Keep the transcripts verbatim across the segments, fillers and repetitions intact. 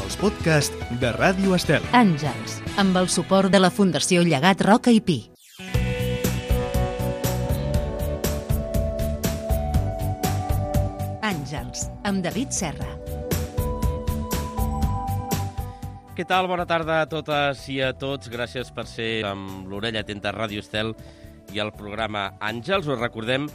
els podcasts de Ràdio Estel. Àngels, amb el suport de la Fundació Llegat Roca i Pi. Àngels, amb David Serra. Què tal? Bona tarda a totes i a tots. Gràcies per ser amb l'orella atenta a Ràdio Estel i al programa Àngels. Us recordem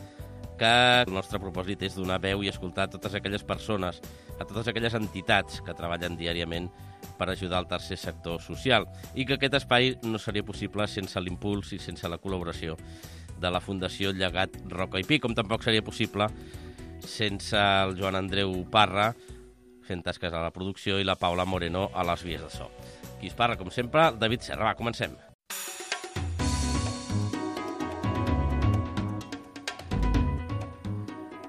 que el nostre propòsit és donar veu i escoltar a totes aquelles persones, a totes aquelles entitats que treballen diàriament per ajudar al tercer sector social, i que aquest espai no seria possible sense l'impuls i sense la col·laboració de la Fundació Llegat Roca i Pi, com tampoc seria possible sense el Joan Andreu Parra fent tasques a la producció i la Paula Moreno a les vies de so. Qui es parla, com sempre, David Serra. Va, comencem.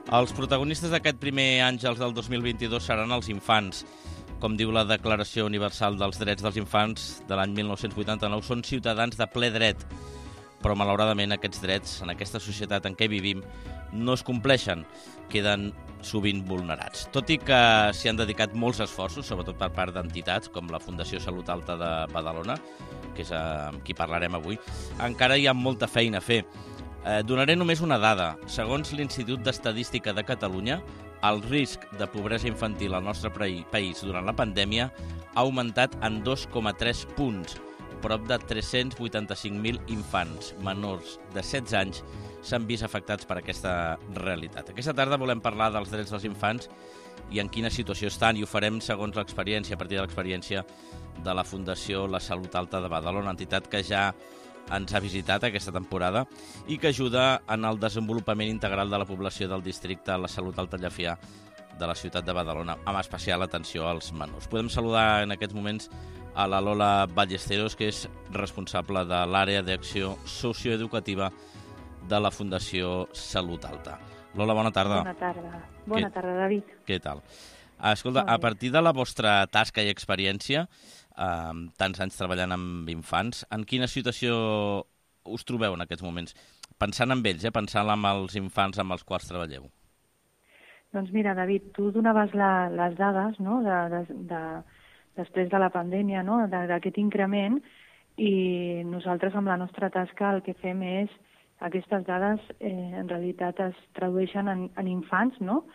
Els protagonistes d'aquest primer Àngels del dos mil vint-i-dos seran els infants. Com diu la Declaració Universal dels Drets dels Infants de l'any mil nou-cents vuitanta-nou, són ciutadans de ple dret. Però, malauradament, aquests drets, en aquesta societat en què vivim, no es compleixen, queden sovint vulnerats. Tot i que s'hi han dedicat molts esforços, sobretot per part d'entitats com la Fundació Salut Alta de Badalona, que és amb qui parlarem avui, encara hi ha molta feina a fer. Eh, donaré només una dada. Segons l'Institut d'Estadística de Catalunya, el risc de pobresa infantil al nostre país durant la pandèmia ha augmentat en dos coma tres punts. Prop de tres-cents vuitanta-cinc mil infants menors de setze anys s'han vist afectats per aquesta realitat. Aquesta tarda volem parlar dels drets dels infants i en quina situació estan, i ho farem segons l'experiència, a partir de l'experiència de la Fundació La Salut Alta de Badalona, entitat que ja ens ha visitat aquesta temporada i que ajuda en el desenvolupament integral de la població del districte La Salut Alta Llefià de la ciutat de Badalona, amb especial atenció als menors. Podem saludar en aquests moments a la Lola Ballesteros, que és responsable de l'àrea d'acció socioeducativa de la Fundació Salut Alta. Lola, bona tarda. Bona tarda. Bona tarda, David. Què tal? Escolta, a partir de la vostra tasca i experiència, eh, tants anys treballant amb infants, en quina situació us trobeu en aquests moments? Pensant en ells, eh? Pensant en els infants amb els quals treballeu. Doncs mira, David, tu donaves la, les dades, no?, de, de, de, després de la pandèmia, no?, d'aquest increment, i nosaltres amb la nostra tasca el que fem és, aquestes dades eh, en realitat es tradueixen en, en infants, no?,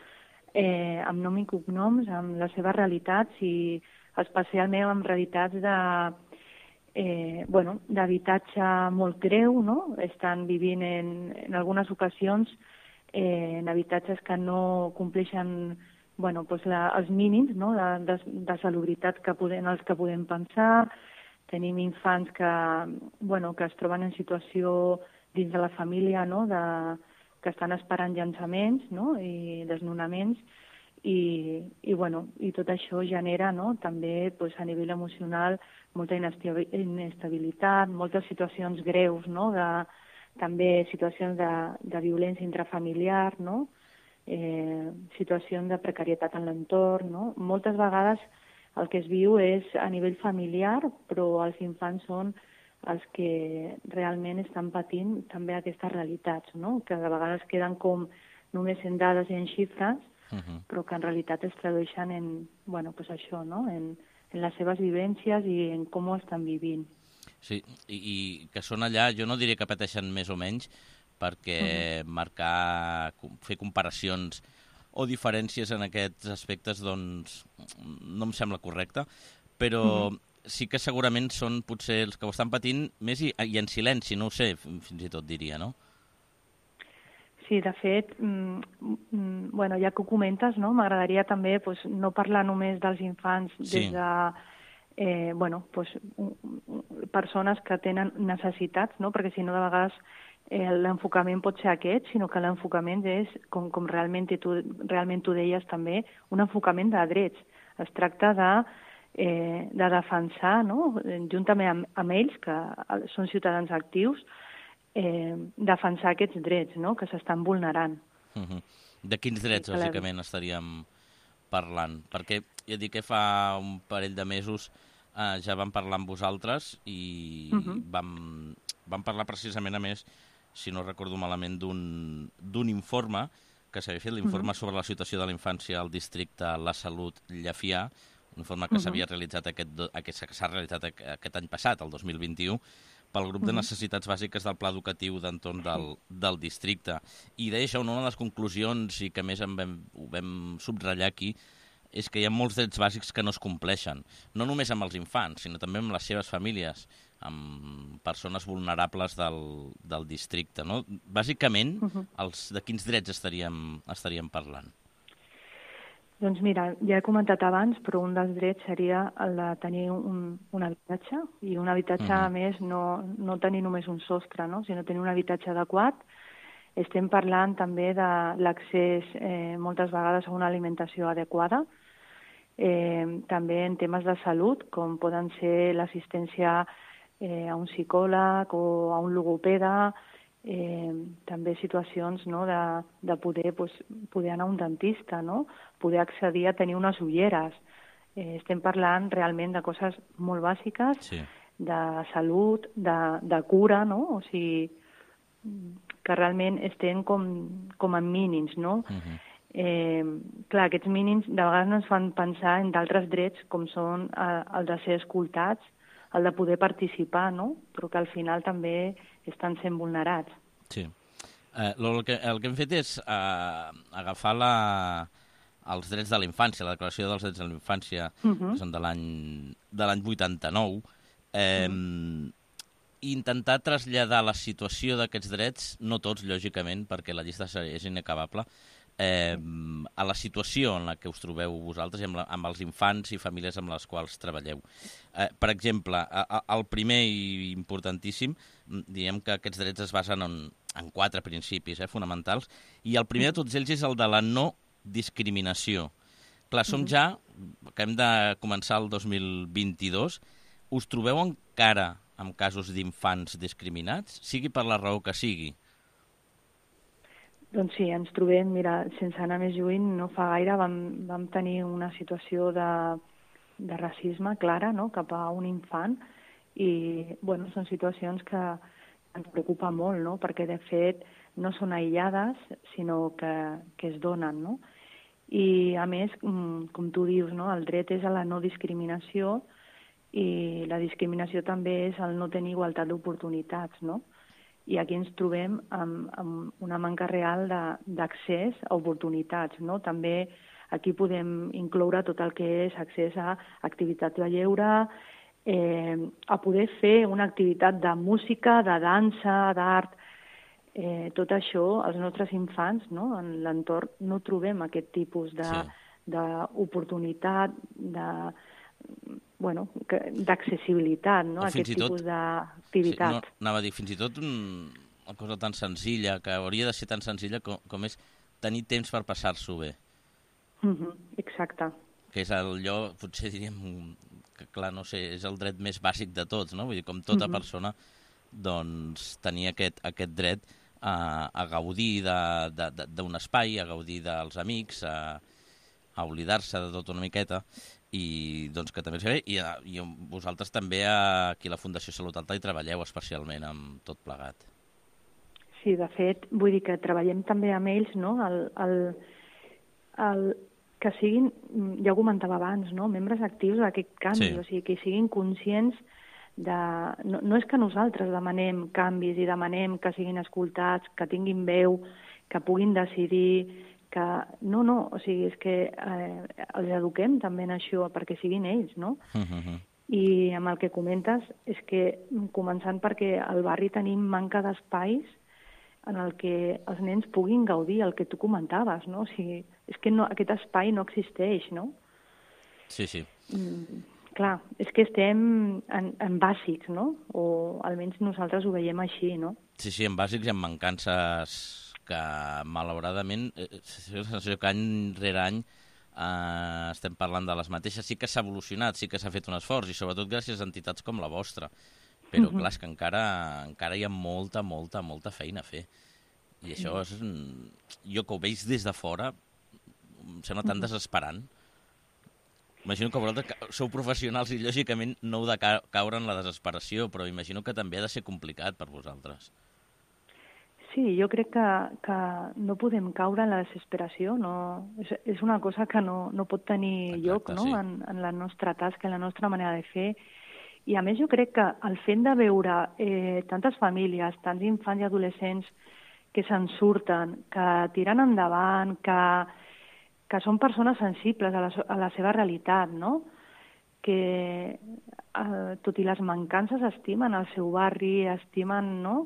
eh, amb nom i cognoms, amb les seves realitats, i especialment amb realitats de, eh, bueno, d'habitatge molt greu, no?, estan vivint en, en algunes ocasions eh, en habitatges que no compleixen bueno, doncs la, els mínims, no?, de, de, de salubritat que podem, els que podem pensar. Tenim infants que, bueno, que es troben en situació dins de la família, no?, de, que estan esperant llançaments, no?, i desnonaments, i, i, bueno, i tot això genera, no?, també doncs, a nivell emocional molta inestabilitat, moltes situacions greus, no?, de, també situacions de, de violència intrafamiliar, no?, Eh, situacions de precarietat en l'entorn, no? Moltes vegades el que es viu és a nivell familiar, però els infants són els que realment estan patint també aquestes realitats, no?, que de vegades queden com només en dades i en xifres, uh-huh. però que en realitat es tradueixen en, bueno, pues això, no?, en, en les seves vivències i en com ho estan vivint. Sí, i, i que són allà, jo no diré que pateixen més o menys, perquè marcar, fer comparacions o diferències en aquests aspectes, doncs, no em sembla correcte, però uh-huh. sí que segurament són potser els que ho estan patint més i, i en silenci, no ho sé, fins i tot diria, no? Sí, de fet, mm, bueno, ja que ho comentes, no?, m'agradaria també pues, no parlar només dels infants sí. des de eh, bueno, pues, persones que tenen necessitats, no?, perquè si no de vegades Eh, l'enfocament pot ser aquest, sinó que l'enfocament és, com, com realment, tu, realment tu deies també, un enfocament de drets. Es tracta de, eh, de defensar, no?, juntament amb, amb ells, que són ciutadans actius, eh, defensar aquests drets, no?, que s'estan vulnerant. Uh-huh. De quins drets, sí, bàsicament, la... estaríem parlant? Perquè ja dic que fa un parell de mesos eh, ja vam parlar amb vosaltres i uh-huh. vam, vam parlar precisament, a més, si no recordo malament, d'un informe que s'havia fet, l'informe uh-huh. sobre la situació de la infància al districte La Salut Llefià, un informe que Uh-huh. s'havia realitzat aquest, do- aquest, que s'ha realitzat aqu- aquest any passat, el dos mil vint-i-u, pel grup de Mhm. necessitats bàsiques del pla educatiu d'entorn del, del districte. I deia això, una de les conclusions, i que a més en vam, ho vam subratllar aquí, és que hi ha molts drets bàsics que no es compleixen, no només amb els infants, sinó també amb les seves famílies, amb persones vulnerables del, del districte. No? Bàsicament, Mhm. els, de quins drets estaríem, estaríem parlant? Doncs mira, ja he comentat abans, però un dels drets seria el de tenir un, un habitatge, i un habitatge, Mhm. a més, no, no tenir només un sostre, no? sinó tenir un habitatge adequat. Estem parlant també de l'accés eh, moltes vegades a una alimentació adequada, eh, també en temes de salut, com poden ser l'assistència eh, a un psicòleg o a un logopeda, eh, també situacions, no, de, de poder, pues, poder anar a un dentista, no? Poder accedir a tenir unes ulleres. Eh, estem parlant realment de coses molt bàsiques, Sí. de salut, de, de cura, no? O sigui, que realment estem com, com en mínims, no? Mhm. Eh, clar, aquests mínims de vegades no ens fan pensar en d'altres drets com són eh, el de ser escoltats, el de poder participar, no? Però que al final també estan sent vulnerats. Sí. Eh, el, que, el que hem fet és eh, agafar la, els drets de la infància, la Declaració dels Drets de la Infància, Uh -huh. que són de l'any de l'any vuitanta-nou, eh, uh-huh. i intentar traslladar la situació d'aquests drets, no tots, lògicament, perquè la llista és inacabable, eh, a la situació en la que us trobeu vosaltres i amb, la, amb els infants i famílies amb les quals treballeu. Eh, per exemple, a, a, el primer i importantíssim, diem que aquests drets es basen en, en quatre principis eh, fonamentals, i el primer de tots ells és el de la no discriminació. Clar, som ja, que hem de començar el dos mil vint-i-dos, us trobeu encara amb casos d'infants discriminats, sigui per la raó que sigui? Doncs sí, ens trobem, mira, sense anar més lluny, no fa gaire vam, vam tenir una situació de, de racisme clara, no?, cap a un infant, i bueno, són situacions que ens preocupa molt, no?, perquè de fet no són aïllades, sinó que, que es donen, no? I a més, com tu dius, no?, el dret és a la no discriminació, i la discriminació també és el no tenir igualtat d'oportunitats, no? I aquí ens trobem amb, amb una manca real d'accés a oportunitats, no? També aquí podem incloure tot el que és accés a activitats de lleure, eh, a poder fer una activitat de música, de dansa, d'art, eh, tot això, els nostres infants, no?, en l'entorn no trobem aquest tipus de, Sí. d'oportunitat, de, bueno, que- d'accessibilitat, no?, O a fins aquest i tot- tipus d'activitat. Sí, no, anava a dir, fins i tot un, una cosa tan senzilla, que hauria de ser tan senzilla com, com és tenir temps per passar-s'ho bé, Mhm, exacte. que és allò, potser diríem, que clar, no sé, és el dret més bàsic de tots, no? Vull dir, com tota Mhm. persona, doncs, tenir aquest, aquest dret a, a gaudir de- de- de- d'un espai, a gaudir dels amics, a, a oblidar-se de tot una miqueta, i doncs que també es ve, i, a- i vosaltres també a, aquí a la Fundació Salut Alta hi treballeu especialment amb tot plegat. Sí, de fet, vull dir que treballem també amb ells, no?, el, el, el, que siguin, ja ho comentava abans, no?, membres actius d'aquest canvi, Sí. o sigui, que siguin conscients de... No, no és que nosaltres demanem canvis i demanem que siguin escoltats, que tinguin veu, que puguin decidir, que... No, no, o sigui, és que eh, els eduquem també en això perquè siguin ells, no? Uh-huh. I amb el que comentes és que, començant perquè al barri tenim manca d'espais en el que els nens puguin gaudir, el que tu comentaves, no? O sigui, és que no, aquest espai no existeix, no? Sí, sí. Mm, clar, és que estem en, en bàsics, no? O almenys nosaltres ho veiem així, no? Sí, sí, en bàsics i en mancances que, malauradament, eh, és la sensació que any rere any eh, estem parlant de les mateixes. Sí que s'ha evolucionat, sí que s'ha fet un esforç, i sobretot gràcies a entitats com la vostra. Però, Mhm. clar, és que encara, encara hi ha molta, molta, molta feina a fer. I això és... un- Jo que ho veig des de fora, em sembla tan desesperant. Imagino que vosaltres ca- sou professionals i, lògicament, no heu de ca- caure en la desesperació, però imagino que també ha de ser complicat per vosaltres. Sí, jo crec que, que no podem caure en la desesperació, no, és, és una cosa que no, no pot tenir Exacte, lloc, no? sí. en, en la nostra tasca, en la nostra manera de fer. I a més jo crec que el fet de veure eh, tantes famílies, tants infants i adolescents que se'n surten, que tiren endavant, que, que són persones sensibles a la, a la seva realitat, no? Que eh, tot i les mancances estimen el seu barri, estimen, no?,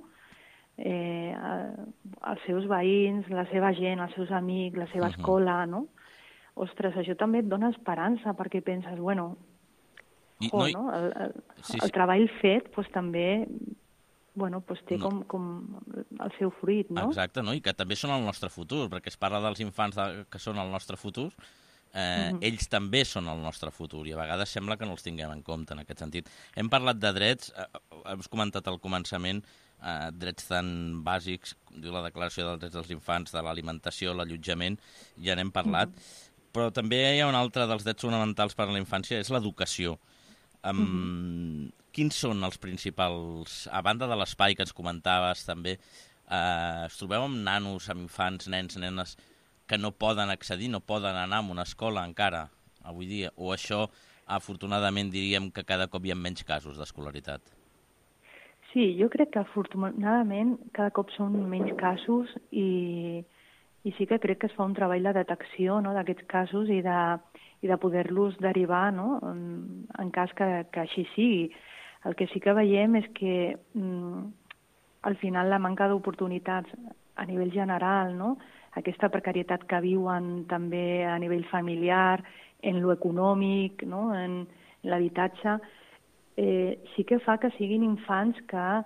eh, els seus veïns, la seva gent, els seus amics, la seva Mhm. escola, no? Ostres, això també et dona esperança, perquè penses, bueno, I, jo, no, i- no? El, el, Sí, el sí. treball fet pues, també bueno, pues, té No. com, com el seu fruit, no? Exacte, no? I que també són el nostre futur, perquè es parla dels infants de, que són el nostre futur, eh, Mhm. ells també són el nostre futur, i a vegades sembla que no els tinguem en compte en aquest sentit. Hem parlat de drets, eh, hem comentat al començament, eh, drets tan bàsics, com diu la Declaració dels Drets dels Infants, de l'alimentació, l'allotjament, ja n'hem parlat, però també hi ha un altre dels drets fonamentals per a la infància, és l'educació. Um, Quins són els principals, a banda de l'espai que ens comentaves també, eh, es trobeu amb nanos, amb infants, nens, nenes, que no poden accedir, no poden anar a una escola encara, avui dia, o això, afortunadament, diríem que cada cop hi ha menys casos d'escolaritat? Sí, jo crec que afortunadament cada cop són menys casos i, i sí que crec que es fa un treball de detecció, no?, d'aquests casos i de, i de poder-los derivar, no?, en, en cas que, que així sigui. El que sí que veiem és que mm, al final la manca d'oportunitats a nivell general, no?, aquesta precarietat que viuen també a nivell familiar, en lo econòmic, no?, en, en l'habitatge, eh, sí que fa que siguin infants que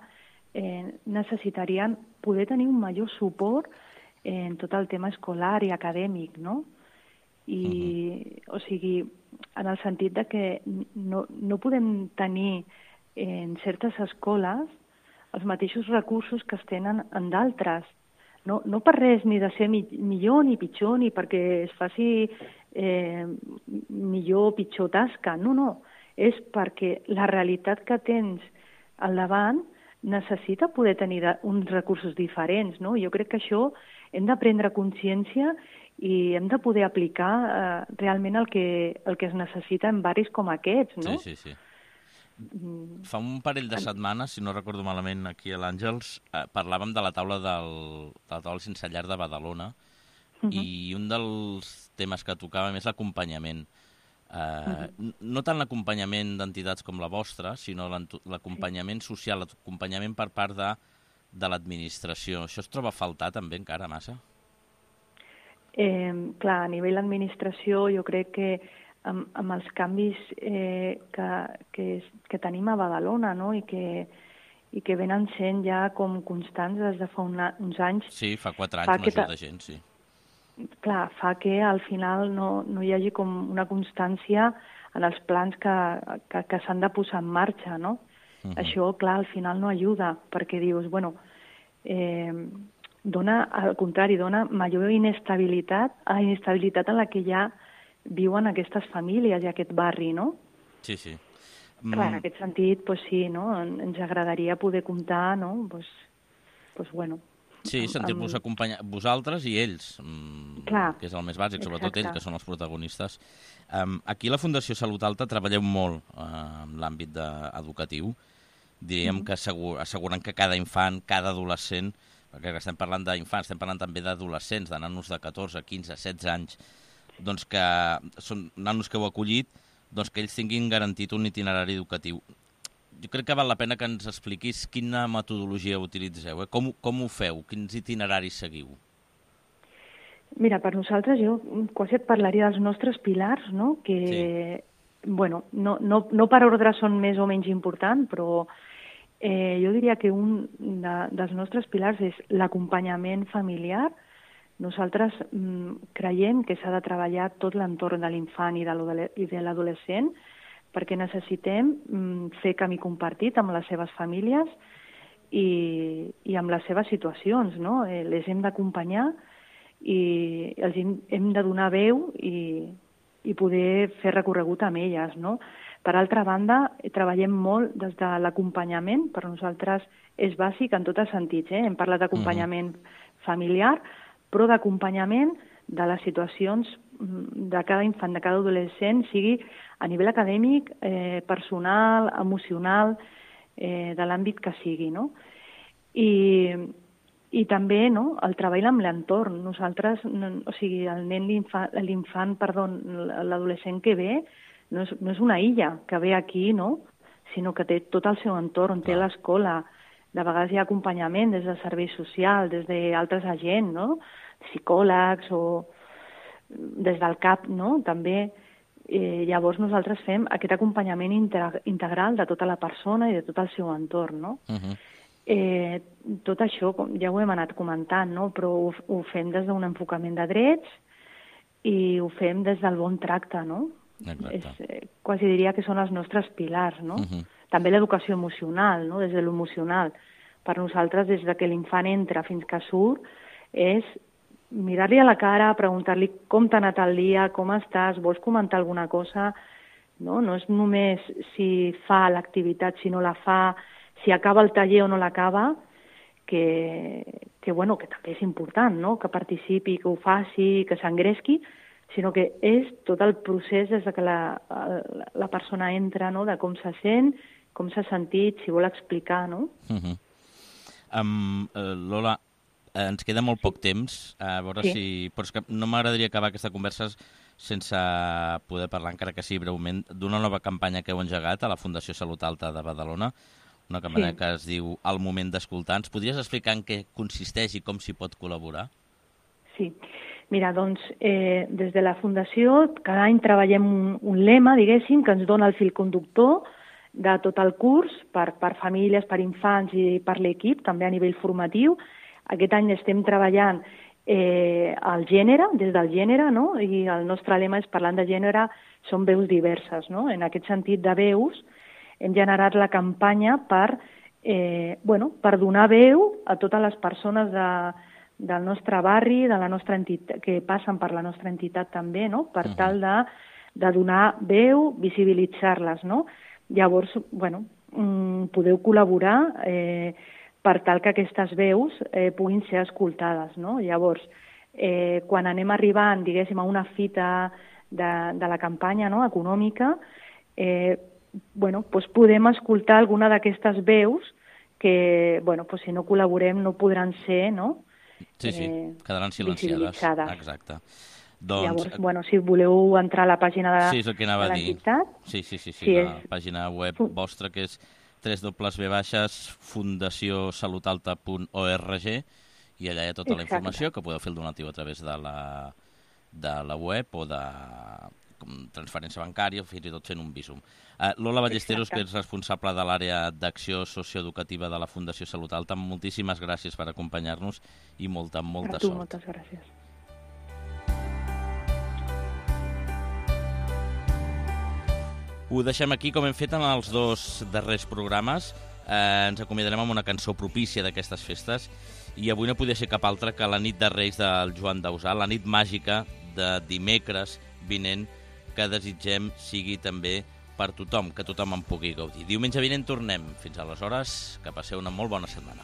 eh, necessitarien poder tenir un major suport en tot el tema escolar i acadèmic, no? I, uh-huh. O sigui, en el sentit de que no, no podem tenir en certes escoles els mateixos recursos que es tenen en d'altres. No, no per res ni de ser mi, millor ni pitjor, ni perquè es faci eh, millor o pitjor tasca. No, no. És perquè la realitat que tens al davant necessita poder tenir uns recursos diferents, no? Jo crec que això hem de prendre consciència i hem de poder aplicar eh, realment el que, el que es necessita en barris com aquests, no? Sí, sí, sí. Fa un parell de setmanes, si no recordo malament, aquí a l'Àngels, eh, parlàvem de la taula del, de la taula sense llar de Badalona, uh-huh. i un dels temes que tocàvem és l'acompanyament. Eh, uh-huh. No tant l'acompanyament d'entitats com la vostra, sinó l'acompanyament social, l'acompanyament per part de, de l'administració. Això es troba a faltar també encara massa? Eh, clar, a nivell d'administració jo crec que amb, amb els canvis eh, que, que, que tenim a Badalona, no?, i que, i que venen sent ja com constants des de fa una, uns anys. Sí, fa quatre anys no ajuda gent, sí. Clar, fa que al final no, no hi hagi com una constància en els plans que, que, que s'han de posar en marxa, no? Uh-huh. Això, clar, al final no ajuda, perquè dius, bueno, eh, dona, al contrari, dona major inestabilitat, a la inestabilitat en la que ja viuen aquestes famílies i aquest barri, no? Sí, sí. Mm. Clar, en aquest sentit, pues sí, no? Ens agradaria poder comptar, no? Pues, pues bueno. Sí, sentir-vos amb... acompanyar vosaltres i ells, mm, Clar, que és el més bàsic, sobretot exacte. Ells, que són els protagonistes. Um, aquí a la Fundació Salut Alta treballeu molt uh, en l'àmbit educatiu. Diríem mm. que assegur, asseguren que cada infant, cada adolescent, perquè estem parlant d'infants, estem parlant també d'adolescents, de nanos de catorze, quinze, setze anys, doncs que són nanos que heu acollit, doncs que ells tinguin garantit un itinerari educatiu. Jo crec que val la pena que ens expliquis quina metodologia utilitzeu, eh? com, com ho feu, quins itineraris seguiu? Mira, per nosaltres jo quasi et parlaria dels nostres pilars, no? Que, sí. bueno, no, no, no per ordre són més o menys importants, però eh, jo diria que un de, dels nostres pilars és l'acompanyament familiar. Nosaltres mm, creiem que s'ha de treballar tot l'entorn de l'infant i de l'adolescent perquè necessitem mm, fer camí compartit amb les seves famílies i, i amb les seves situacions, no? Les hem d'acompanyar i els hem, hem de donar veu i, i poder fer recorregut amb elles, no? Per altra banda, treballem molt des de l'acompanyament, per nosaltres és bàsic en tots els sentits, eh? Hem parlat d'acompanyament uh-huh. familiar, però d'acompanyament de les situacions de cada infant, de cada adolescent, sigui a nivell acadèmic, eh, personal, emocional, eh, de l'àmbit que sigui, no? I, i també, no?, el treball amb l'entorn. Nosaltres, no, o sigui, el nen, l'infant, l'infant, perdó, l'adolescent que ve, no és, no és una illa que ve aquí, no?, sinó que té tot el seu entorn, té l'escola. De vegades hi ha acompanyament des del servei social, des d'altres agents, no?, psicòlegs o des del C A P, no?, també. Eh, llavors nosaltres fem aquest acompanyament integral de tota la persona i de tot el seu entorn, no? Uh-huh. eh, tot això ja ho hem anat comentant, no?, però ho, ho fem des d'un enfocament de drets i ho fem des del bon tracte, no? És, eh, quasi diria que són els nostres pilars, no? Uh-huh. També l'educació emocional, no?, des de l'emocional. Per nosaltres, des de que l'infant entra fins que surt, és mirar-li a la cara, preguntar-li com t'ha anat el dia, com estàs, vols comentar alguna cosa, no? No és només si fa l'activitat, si no la fa, si acaba el taller o no l'acaba, que, que, bueno, que també és important, no?, que participi, que ho faci, que s'engresqui, sinó que és tot el procés des de que la, la, la persona entra, no?, de com se sent, com s'ha sentit, si vol explicar, no? Uh-huh. Um, uh, Lola, ens queda molt poc temps, a veure sí. si... Però és que no m'agradaria acabar aquesta conversa sense poder parlar, encara que sigui breument, d'una nova campanya que heu engegat a la Fundació Salut Alta de Badalona, una campanya sí. que es diu El moment d'escoltar. Ens podries explicar en què consisteix i com s'hi pot col·laborar? Sí. Mira, doncs, eh, des de la Fundació cada any treballem un, un lema, diguéssim, que ens dona el fil conductor de tot el curs per, per famílies, per infants i per l'equip, també a nivell formatiu. Aquest any estem treballant eh, el gènere, des del gènere, no? I el nostre lema és parlant de gènere, són veus diverses, no? En aquest sentit de veus hem generat la campanya per, eh, bueno, per donar veu a totes les persones de, del nostre barri, de la nostra entitat, que passen per la nostra entitat també, no?, per uh-huh. tal de, de donar veu, visibilitzar-les, no? Llavors, bueno, mm, podeu col·laborar eh, per tal que aquestes veus eh, puguin ser escoltades, no? Llavors, eh, quan anem arribant, diguéssim, a una fita de, de la campanya, no?, econòmica, eh, bueno, doncs podem escoltar alguna d'aquestes veus que, bueno, doncs si no col·laborem no podran ser, no?, Sí, sí, eh, quedaran silenciades. Exacte. Doncs... Llavors, bueno, si voleu entrar a la pàgina de, sí, és el que anava de l'entitat... Sí, sí, sí, sí, sí, la és... pàgina web vostra, que és w w w punt fundació salut alta punt org, i allà hi ha tota Exacte. La informació que podeu fer el donatiu a través de la, de la web o de com, transferència bancària, fins i tot fent un Bizum. Uh, Lola Ballesteros, Exacte. Que és responsable de l'àrea d'acció socioeducativa de la Fundació Salut Alta, moltíssimes gràcies per acompanyar-nos i molta, molta tu, sort. Moltes gràcies. Ho deixem aquí, com hem fet en els dos darrers programes. Eh, ens acomiadarem amb una cançó propícia d'aquestes festes i avui no podia ser cap altra que la nit de Reis del Joan Dausà, la nit màgica de dimecres vinent, que desitgem sigui també per tothom, que tothom en pugui gaudir. Diumenge vinent tornem. Fins aleshores, que passeu una molt bona setmana.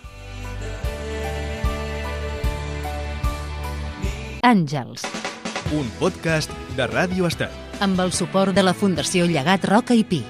Àngels. Un podcast de Ràdio Estel. Amb el suport de la Fundació Llegat Roca i Pi.